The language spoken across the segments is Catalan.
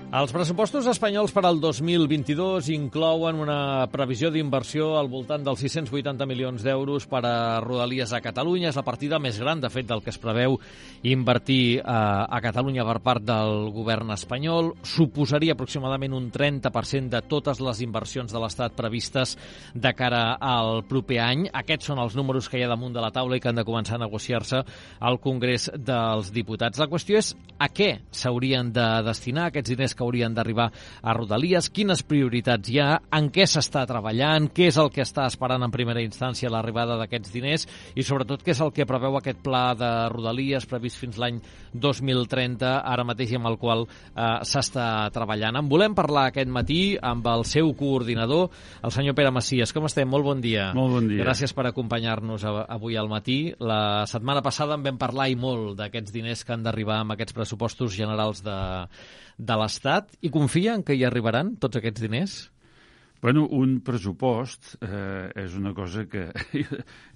Els pressupostos espanyols per al 2022 inclouen una previsió d'inversió al voltant dels 680 milions d'euros per a Rodalies a Catalunya. És la partida més gran, de fet, del que es preveu invertir a Catalunya per part del govern espanyol. Suposaria aproximadament un 30% de totes les inversions de l'Estat previstes de cara al proper any. Aquests són els números que hi ha damunt de la taula i que han de començar a negociar-se al Congrés dels Diputats. La qüestió és a què s'haurien de destinar aquests diners que haurien d'arribar a Rodalies, quines prioritats hi ha, en què s'està treballant, què és el que està esperant en primera instància l'arribada d'aquests diners i sobretot què és el que preveu aquest pla de Rodalies previst fins l'any 2030, ara mateix amb el qual s'està treballant. En volem parlar aquest matí amb el seu coordinador, el senyor Pere Macias. Com estem? Molt bon dia. Molt bon dia. Gràcies per acompanyar-nos avui al matí. La setmana passada en vam parlar i molt d'aquests diners que han d'arribar amb aquests pressupostos generals de l'Estat, i confien que hi arribaran tots aquests diners? Bueno, un pressupost és una cosa que...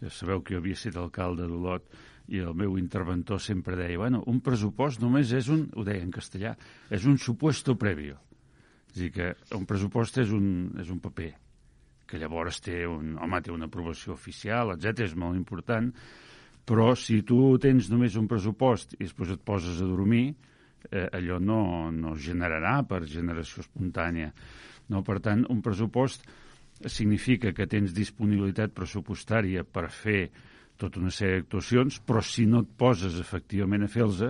Ja sabeu que jo havia estat alcalde d'Olot i el meu interventor sempre deia, bueno, un pressupost només és un, ho deia en castellà, és un supuesto previo. És a dir, que un pressupost és un paper que llavors té una aprovació oficial, etc. És molt important, però si tu tens només un pressupost i després et poses a dormir, allò no es generarà per generació espontània. No? Per tant, un pressupost significa que tens disponibilitat pressupostària per fer tota una sèrie d'actuacions, però si no et poses efectivament a fer-los,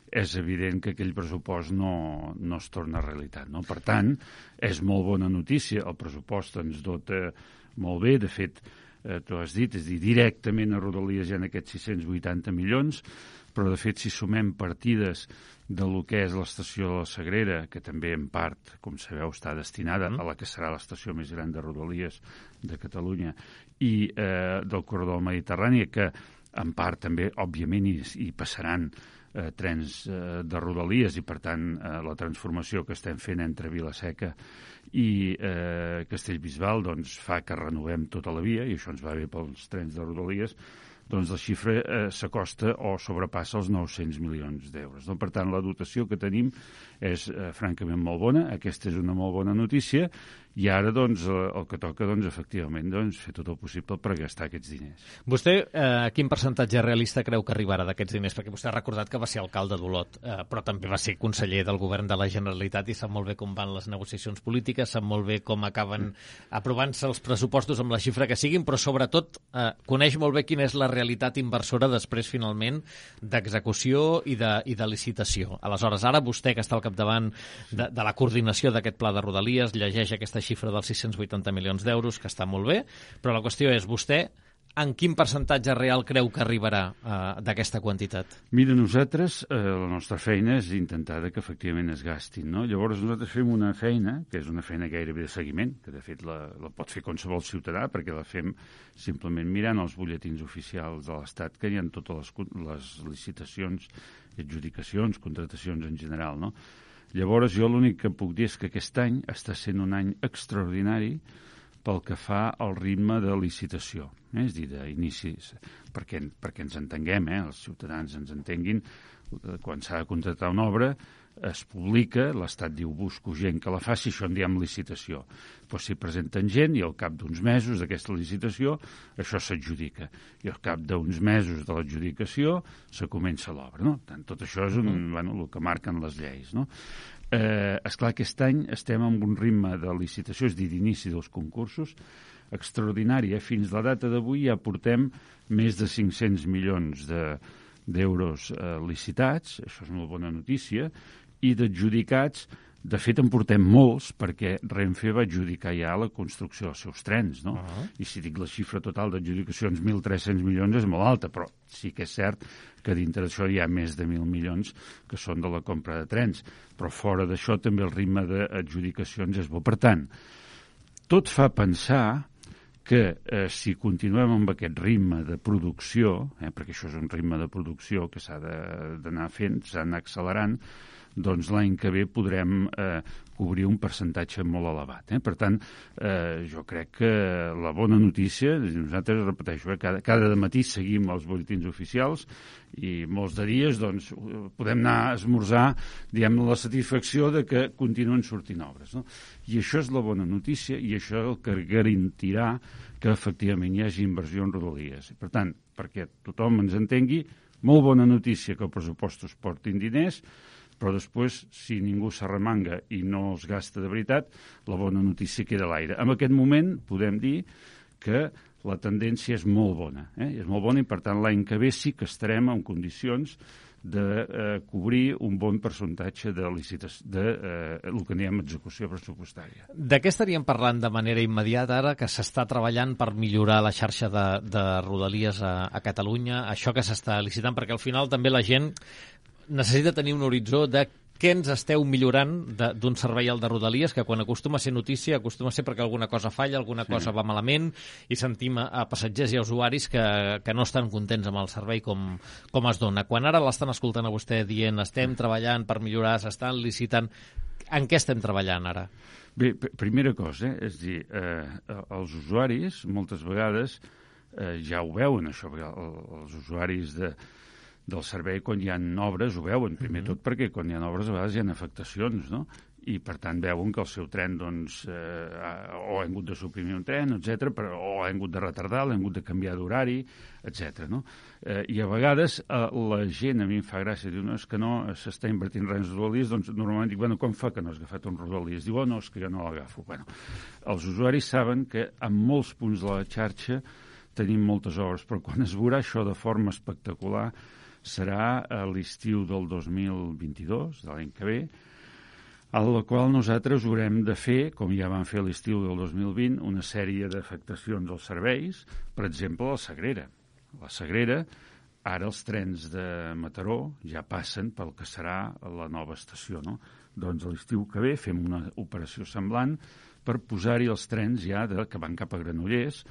és evident que aquell pressupost no es torna realitat. No? Per tant, és molt bona notícia. El pressupost ens dota molt bé. De fet, tu has dit, és a dir, directament a Rodalies hi ha aquests 680 milions, però de fet si sumem partides de lo que és l'estació de la Sagrera, que també en part, com sabeu, està destinada a la que serà l'estació més gran de Rodalies de Catalunya, i del corredor mediterrani, que en part també, òbviament, hi passaran trens de Rodalies i, per tant, la transformació que estem fent entre Vila-seca i Castellbisbal doncs, fa que renovem tota la via, i això ens va bé pels trens de Rodalies, doncs la xifra s'acosta o sobrepassa els 900 milions d'euros. Per tant, la dotació que tenim és francament molt bona. Aquesta és una molt bona notícia i ara doncs, el que toca efectivament fer tot el possible per gastar aquests diners. Vostè quin percentatge realista creu que arribarà d'aquests diners? Perquè vostè ha recordat que va ser alcalde d'Olot, però també va ser conseller del govern de la Generalitat i sap molt bé com van les negociacions polítiques, sap molt bé com acaben aprovant-se els pressupostos amb la xifra que siguin, però sobretot coneix molt bé quina és la realitat inversora després, finalment, d'execució i de licitació. Aleshores, ara vostè, que està al capdavant de la coordinació d'aquest pla de Rodalies, llegeix aquesta xifra dels 680 milions d'euros, que està molt bé, però la qüestió és, vostè en quin percentatge real creu que arribarà d'aquesta quantitat? Mira, nosaltres, la nostra feina és intentar que efectivament es gastin, no? Llavors nosaltres fem una feina, que és una feina gairebé de seguiment, que de fet la pot fer qualsevol ciutadà, perquè la fem simplement mirant els butlletins oficials de l'Estat, que hi ha totes les licitacions, adjudicacions, contratacions en general, no? Llavors jo l'únic que puc dir és que aquest any està sent un any extraordinari pel que fa al ritme de licitació, és a dir, d'inicis, perquè ens entenguem, els ciutadans ens entenguin, quan s'ha de contractar una obra es publica, l'Estat diu busco gent que la faci, això en diem licitació. Doncs s'hi presenten gent i al cap d'uns mesos d'aquesta licitació això s'adjudica. I al cap d'uns mesos de l'adjudicació se comença l'obra. No? Tant, tot això és el que marquen les lleis. No? Esclar, aquest any estem amb un ritme de licitació, és a dir, d'inici dels concursos, extraordinari. Fins la data d'avui ja portem més de 500 milions d'euros licitats, això és una bona notícia, i d'adjudicats, de fet en portem molts, perquè Renfe va adjudicar ja la construcció dels seus trens, no? I si dic la xifra total d'adjudicacions 1.300 milions és molt alta, però sí que és cert que dintre d'això hi ha més de 1.000 milions que són de la compra de trens, però fora d'això també el ritme d'adjudicacions és bo. Per tant, tot fa pensar que si continuem amb aquest ritme de producció, perquè això és un ritme de producció que s'ha d'anar fent, s'ha d'anar accelerant, doncs l'any que ve podrem cobrir un percentatge molt elevat. Per tant, jo crec que la bona notícia, nosaltres, repeteixo, cada matí seguim els butlletins oficials i molts de dies doncs, podem anar a esmorzar, diguem, la satisfacció de que continuen sortint obres. No? I això és la bona notícia i això és el que garantirà que efectivament hi hagi inversió en Rodalies. Per tant, perquè tothom ens entengui, molt bona notícia que els pressupostos portin diners, però després, si ningú s'arremanga i no els gasta de veritat, la bona notícia queda a l'aire. En aquest moment podem dir que la tendència és molt bona. És molt bona i, per tant, l'any que ve sí que estarem en condicions de cobrir un bon percentatge de licitació, el que diem execució pressupostària. De què estaríem parlant de manera immediata ara que s'està treballant per millorar la xarxa de Rodalies a Catalunya, això que s'està licitant, perquè al final també la gent necessita tenir un horitzó de què ens esteu millorant d'un servei al de Rodalies, que quan acostuma a ser notícia, acostuma a ser perquè alguna cosa falla, alguna cosa va malament, i sentim a passatgers i a usuaris que no estan contents amb el servei com es dona. Quan ara l'estan escoltant a vostè dient estem treballant per millorar, s'estan licitant, en què estem treballant ara? Bé, primera cosa, és a dir, els usuaris moltes vegades ja ho veuen, això, perquè els usuaris del servei, quan hi ha obres, ho veuen, primer tot perquè quan hi ha obres a vegades hi ha afectacions, no? I per tant veuen que el seu tren doncs, o ha hagut de suprimir un tren, etc, o ha hagut de retardar, l'ha hagut de canviar d'horari, etc. No? I a vegades la gent, a mi em fa gràcia, diu, no, és que no s'està invertint res en Rodalies, doncs normalment dic, bueno, com fa que no has agafat un Rodalies? Diu, oh, no, és que jo no l'agafo. Bueno, els usuaris saben que en molts punts de la xarxa tenim moltes obres, però quan es veurà això de forma espectacular serà a l'estiu del 2022, de l'any que ve, a la qual nosaltres haurem de fer, com ja vam fer a l'estiu del 2020, una sèrie d'afectacions als serveis, per exemple, a la Sagrera. La Sagrera, ara els trens de Mataró ja passen pel que serà la nova estació, no? Doncs a l'estiu que ve fem una operació semblant per posar-hi els trens ja que van cap a Granollers,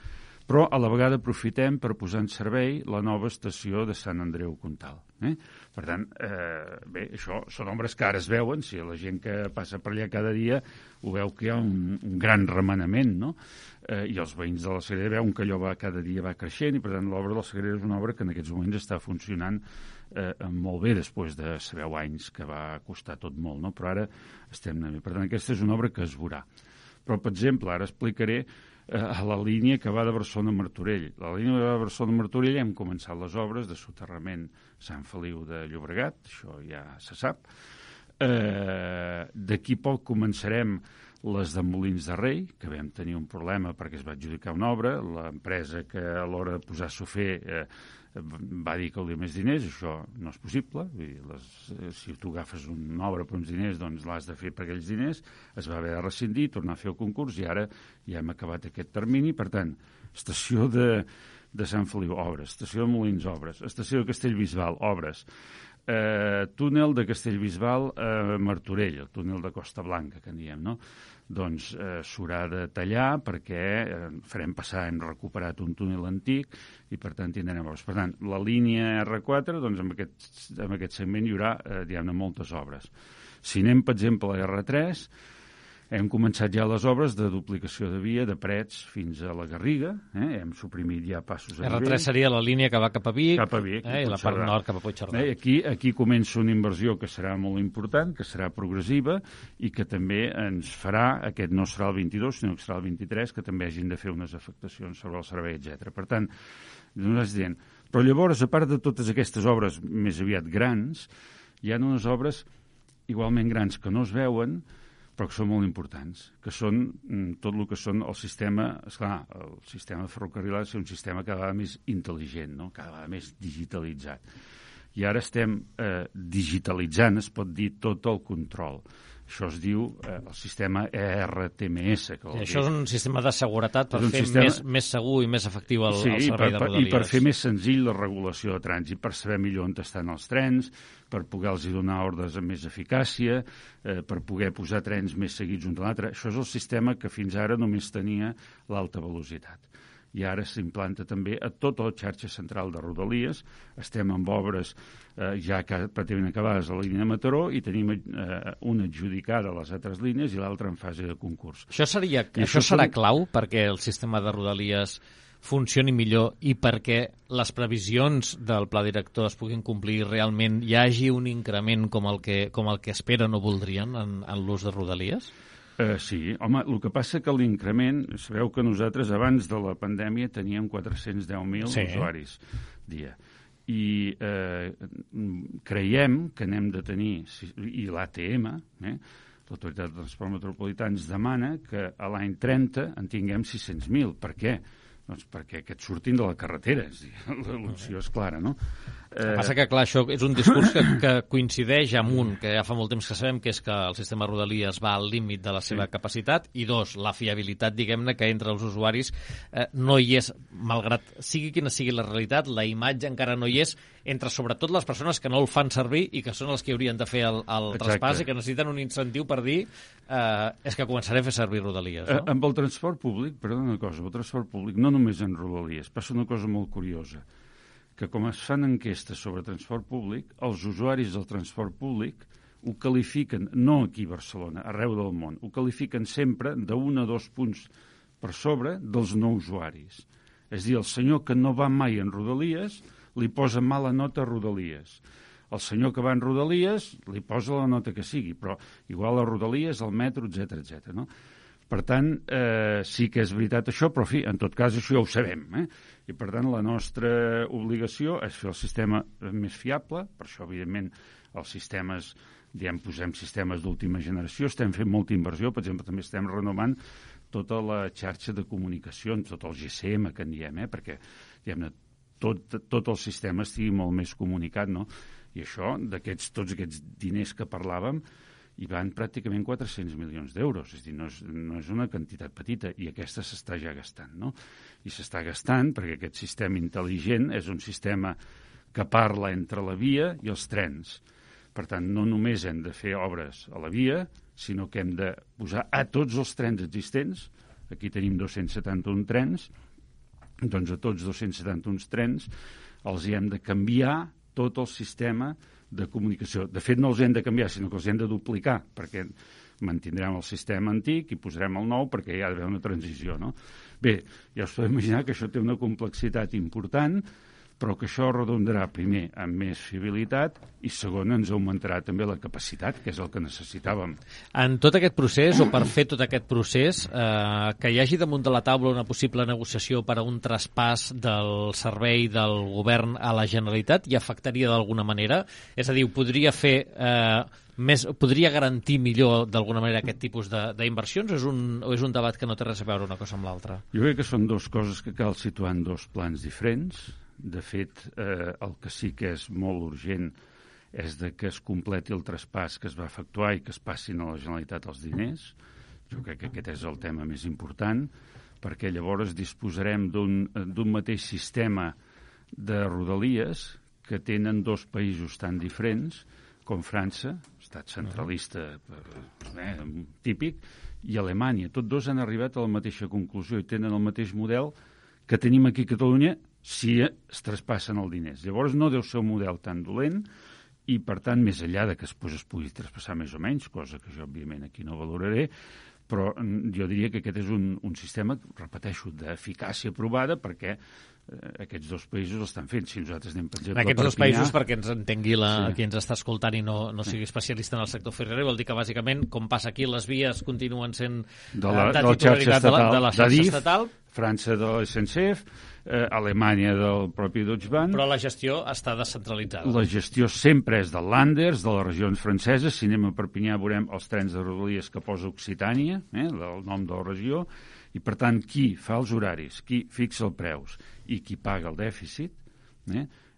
però a la vegada aprofitem per posar en servei la nova estació de Sant Andreu Comtal. Per tant, bé, això són obres que ara es veuen, si la gent que passa per allà cada dia ho veu que hi ha un gran remenament, no? I els veïns de la Sagrera veuen que allò cada dia va creixent i, per tant, l'obra de la Sagrera és una obra que en aquests moments està funcionant molt bé després de, sabeu, anys que va costar tot molt, no? Però ara estem anant bé. Per tant, aquesta és una obra que es veurà. Però, per exemple, ara explicaré a la línia que va de Barcelona a Martorell. La línia que va de Barcelona a Martorell hem començat les obres de soterrament Sant Feliu de Llobregat, això ja se sap. D'aquí poc començarem les de Molins de Rei, que vam tenir un problema perquè es va adjudicar una obra. L'empresa que a l'hora de posar-s'ho a fer va dir que volia més diners, això no és possible. Vull dir, si tu agafes una obra per uns diners, doncs l'has de fer per aquells diners. Es va haver de rescindir, tornar a fer el concurs i ara ja hem acabat aquest termini. Per tant, estació de Sant Feliu, obres. Estació de Molins, obres. Estació de Castellbisbal, obres. Túnel de Castellbisbal a Martorell, el túnel de Costa Blanca, que en diem, no? Doncs s'haurà de tallar perquè farem passar, hem recuperat un túnel antic i per tant tindrem obres. Per tant, la línia R4, doncs en aquest segment hi haurà, diguem-ne, moltes obres. Si anem, per exemple, a R3, hem començat ja les obres de duplicació de via de Prets fins a la Garriga, hem suprimit ja passos a nivell. R3 seria la línia que va cap a Vic, cap a Vic i la part nord cap a Puigcerdà. Aquí comença una inversió que serà molt important, que serà progressiva i que també ens farà, aquest no serà el 22, sinó que serà el 23, que també hagin de fer unes afectacions sobre el servei, etc. Per tant, nosaltres diem, però llavors, a part de totes aquestes obres més aviat grans, hi ha unes obres igualment grans que no es veuen, però que són molt importants, que són tot el que són el sistema, esclar, el sistema ferrocarril ha de ser un sistema cada vegada més intel·ligent, no? Cada vegada més digitalitzat. I ara estem digitalitzant, es pot dir, tot el control. Això es diu el sistema ERTMS. I això és un sistema de seguretat per fer més segur i més efectiu el servei de Rodalies. I per fer més senzill la regulació de trànsit, per saber millor on estan els trens, per poder-los donar ordres amb més eficàcia, per poder posar trens més seguits un de l'altre. Això és el sistema que fins ara només tenia l'alta velocitat. i ara s'implanta també a tota la xarxa central de Rodalies. Estem amb obres ja pràcticament acabades a la línia de Mataró i tenim una adjudicada a les altres línies i l'altra en fase de concurs. Això serà clau perquè el sistema de Rodalies funcioni millor i perquè les previsions del pla director es puguin complir i realment hi hagi un increment com el que esperen o voldrien en l'ús de Rodalies? Sí, home, el que passa que l'increment, sabeu que nosaltres abans de la pandèmia teníem 410.000 usuaris dia. I creiem que n'hem de tenir, i l'ATM, l'Autoritat de Transport Metropolità, ens demana que a l'any 30 en tinguem 600.000. Per què? Doncs perquè aquests surtin de la carretera. L'opció és clara, no? El que passa que, clar, això és un discurs que coincideix amb un, que ja fa molt temps que sabem, que és que el sistema Rodalies va al límit de la seva capacitat, i dos, la fiabilitat, diguem-ne, que entre els usuaris no hi és, malgrat sigui quina sigui la realitat, la imatge encara no hi és, entre sobretot les persones que no el fan servir i que són els que haurien de fer el traspàs i que necessiten un incentiu per dir és que començaré a fer servir Rodalies. No? Amb el transport públic, perdona una cosa, el transport públic, no només en Rodalies, passa una cosa molt curiosa, que com es fan enquestes sobre transport públic, els usuaris del transport públic ho qualifiquen, no aquí a Barcelona, arreu del món, ho qualifiquen sempre d'1 a 2 punts per sobre dels no usuaris. És a dir, el senyor que no va mai en Rodalies li posa mala nota a Rodalies. El senyor que va en Rodalies li posa la nota que sigui, però igual a Rodalies, al metro, etc. No? Per tant, sí que és veritat això, però en tot cas això ja ho sabem. I per tant la nostra obligació és fer el sistema més fiable, per això evidentment els sistemes, posem sistemes d'última generació, estem fent molta inversió, per exemple també estem renovant tota la xarxa de comunicacions, tot el GSM que en diem, perquè tot el sistema estigui molt més comunicat, no? I això, tots aquests diners que parlàvem, hi van pràcticament 400 milions d'euros, és a dir, no és una quantitat petita, i aquesta s'està ja gastant, no? I s'està gastant perquè aquest sistema intel·ligent és un sistema que parla entre la via i els trens. Per tant, no només hem de fer obres a la via, sinó que hem de posar a tots els trens existents, aquí tenim 271 trens, doncs a tots 271 trens els hi hem de canviar tot el sistema de comunicació. De fet, no els hem de canviar, sinó que els hem de duplicar, perquè mantindrem el sistema antic i posarem el nou perquè hi ha d'haver una transició, no? Bé, ja us podeu imaginar que això té una complexitat important, però que això redondarà primer amb més fiabilitat i segon ens augmentarà també la capacitat, que és el que necessitàvem. En tot aquest procés, o per fer tot aquest procés, que hi hagi damunt de la taula una possible negociació per a un traspàs del servei del govern a la Generalitat hi afectaria d'alguna manera? És a dir, podria fer podria garantir millor d'alguna manera aquest tipus d'inversions o és un debat que no té res a veure una cosa amb l'altra? Jo crec que són dues coses que cal situar en dos plans diferents. De fet, el que sí que és molt urgent és que es completi el traspàs que es va efectuar i que es passin a la Generalitat els diners. Jo crec que aquest és el tema més important, perquè llavors disposarem d'un mateix sistema de Rodalies que tenen dos països tan diferents com França, estat centralista típic, i Alemanya. Tots dos han arribat a la mateixa conclusió i tenen el mateix model que tenim aquí a Catalunya si es traspassen els diners. Llavors no deu ser un model tan dolent i, per tant, més enllà de que es pugui traspassar més o menys, cosa que jo, òbviament, aquí no valoraré, però jo diria que aquest és un sistema, repeteixo, d'eficàcia provada perquè aquests dos països l'estan fent. Si nosaltres anem, per exemple, aquests dos països, perquè ens entengui qui ens està escoltant i no sigui especialista en el sector ferroviari, vol dir que, bàsicament, com passa aquí, les vies continuen sent de titularitat de la xarxa estatal. França de la SNCF, Alemanya del propi Deutsche Bahn. Però la gestió està descentralitzada. La gestió sempre és del Landers, de les regions franceses. Si anem a Perpinyà veurem els trens de Rodalies que posa Occitània, el nom de la regió, i per tant qui fa els horaris, qui fixa els preus i qui paga el dèficit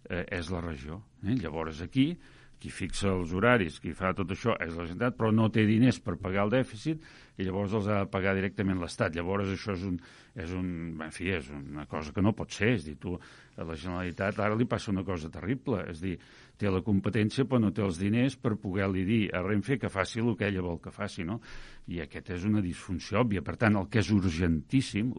és la regió. Llavors aquí qui fixa els horaris, qui fa tot això és la Generalitat, però no té diners per pagar el dèficit, i llavors els ha de pagar directament l'Estat. Llavors això és una cosa que no pot ser. És dir, tu, a la Generalitat ara li passa una cosa terrible, és dir, té la competència però no té els diners per poder-li dir a Renfe que faci el que ella vol que faci, no? I aquesta és una disfunció òbvia. Per tant, el que és urgentíssim,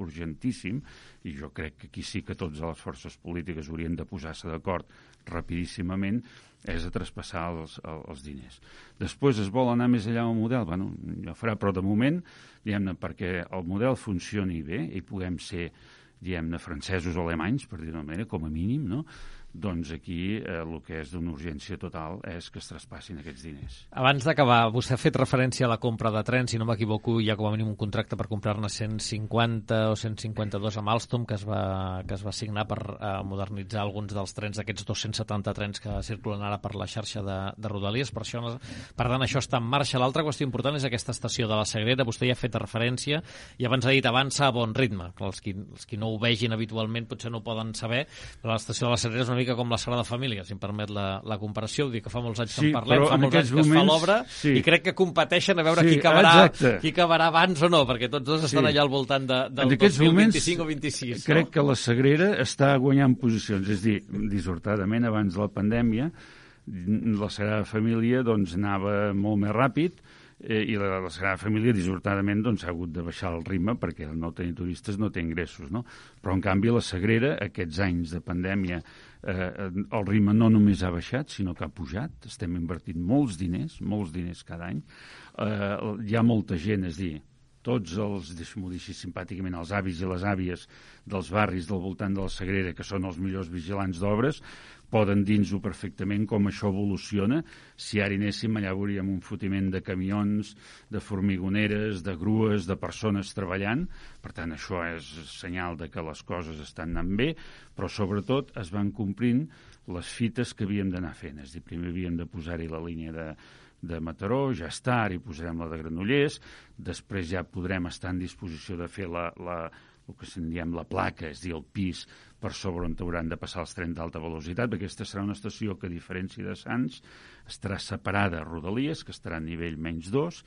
i jo crec que aquí sí que totes les forces polítiques haurien de posar-se d'acord rapidíssimament, és a traspassar els diners. Després es vol anar més enllà del model, bueno, ja farà, però de moment, diguem-ne, perquè el model funcioni bé i puguem ser, diguem-ne, francesos o alemanys, per dir-ho d'una manera, com a mínim, no? Doncs aquí el que és d'una urgència total és que es traspassin aquests diners. Abans d'acabar, vostè ha fet referència a la compra de trens, si no m'equivoco, hi ha com a mínim un contracte per comprar-ne 150 o 152 amb Alstom que es va signar per modernitzar alguns dels trens, aquests 270 trens que circulen ara per la xarxa de Rodalies. Per tant, això està en marxa. L'altra qüestió important és aquesta estació de la Sagrera. Vostè ja ha fet referència i abans ha dit avança a bon ritme. Els qui no ho vegin habitualment potser no ho poden saber, però l'estació de la Sagrera és una mica com la Sagrada Família, si em permet la comparació. Vull dir que fa molts anys que en parlem, fa molts anys que es fa l'obra, i crec que competeixen a veure qui acabarà abans o no, perquè tots dos estan allà al voltant del 2025 o 26. Crec que la Sagrera està guanyant posicions, és a dir, dissortadament abans de la pandèmia, la Sagrada Família doncs anava molt més ràpid, i la Sagrada Família dissortadament doncs, ha hagut de baixar el ritme perquè el no tenir turistes no té ingressos, no? Però en canvi la Sagrera, aquests anys de pandèmia, el ritme no només ha baixat, sinó que ha pujat. Estem invertint molts diners cada any. Hi ha molta gent, és dir, tots els, deixa'm-ho dir així simpàticament, els avis i les àvies dels barris del voltant de la Sagrera, que són els millors vigilants d'obres, poden dir-nos-ho perfectament com això evoluciona. Si ara hi anéssim, allà veuríem un fotiment de camions, de formigoneres, de grues, de persones treballant. Per tant, això és senyal de que les coses estan anant bé, però sobretot es van complint les fites que havíem d'anar fent. És a dir, primer havíem de posar-hi la línia de Mataró, ja està, ara hi posarem la de Granollers, després ja podrem estar en disposició de fer el que se'n diem la placa, és a dir, el pis per sobre on hauran de passar els trens d'alta velocitat, perquè aquesta serà una estació que, a diferència de Sants, estarà separada a Rodalies, que estarà a nivell menys 2,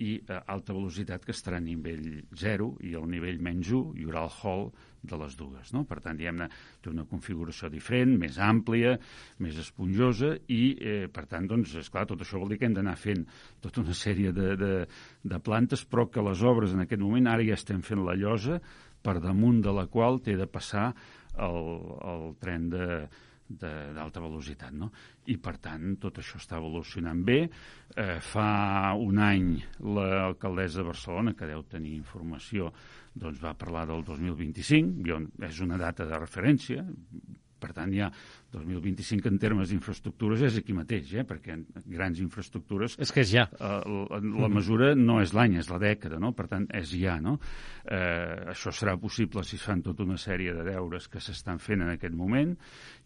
i alta velocitat, que estarà a nivell 0, i al nivell menys 1 hi haurà el hall de les dues, no? Per tant, diguem-ne, té una configuració diferent, més àmplia, més esponjosa, i, per tant, doncs, esclar, tot això vol dir que hem d'anar fent tota una sèrie de plantes, però que les obres en aquest moment, ara ja estem fent la llosa, per damunt de la qual té de passar el tren d'alta velocitat, no? I, per tant, tot això està evolucionant bé. Fa un any l'alcaldessa de Barcelona, que deu tenir informació, doncs va parlar del 2025, és una data de referència, per tant, ja 2025 en termes d'infraestructures és aquí mateix, perquè grans infraestructures... És que és ja. La mesura no és l'any, és la dècada, no? Per tant, és ja, no? Això serà possible si es fan tota una sèrie de deures que s'estan fent en aquest moment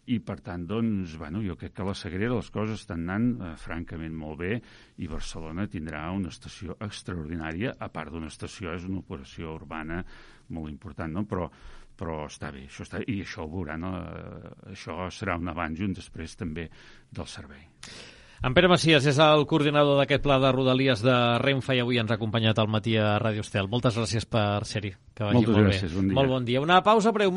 i, per tant, doncs, bueno, jo crec que a la Sagrera les coses estan anant francament molt bé i Barcelona tindrà una estació extraordinària, a part d'una estació, és una operació urbana molt important, no? Però està bé, i això ho veurà, no? Això serà un abans i un després també del servei. En Pere Macias és el coordinador d'aquest pla de Rodalies de Renfe i avui ens ha acompanyat al matí a Ràdio Estel. Moltes gràcies per ser-hi. Que vagi Moltes gràcies, bon dia. Molt bon dia. Una pausa breu.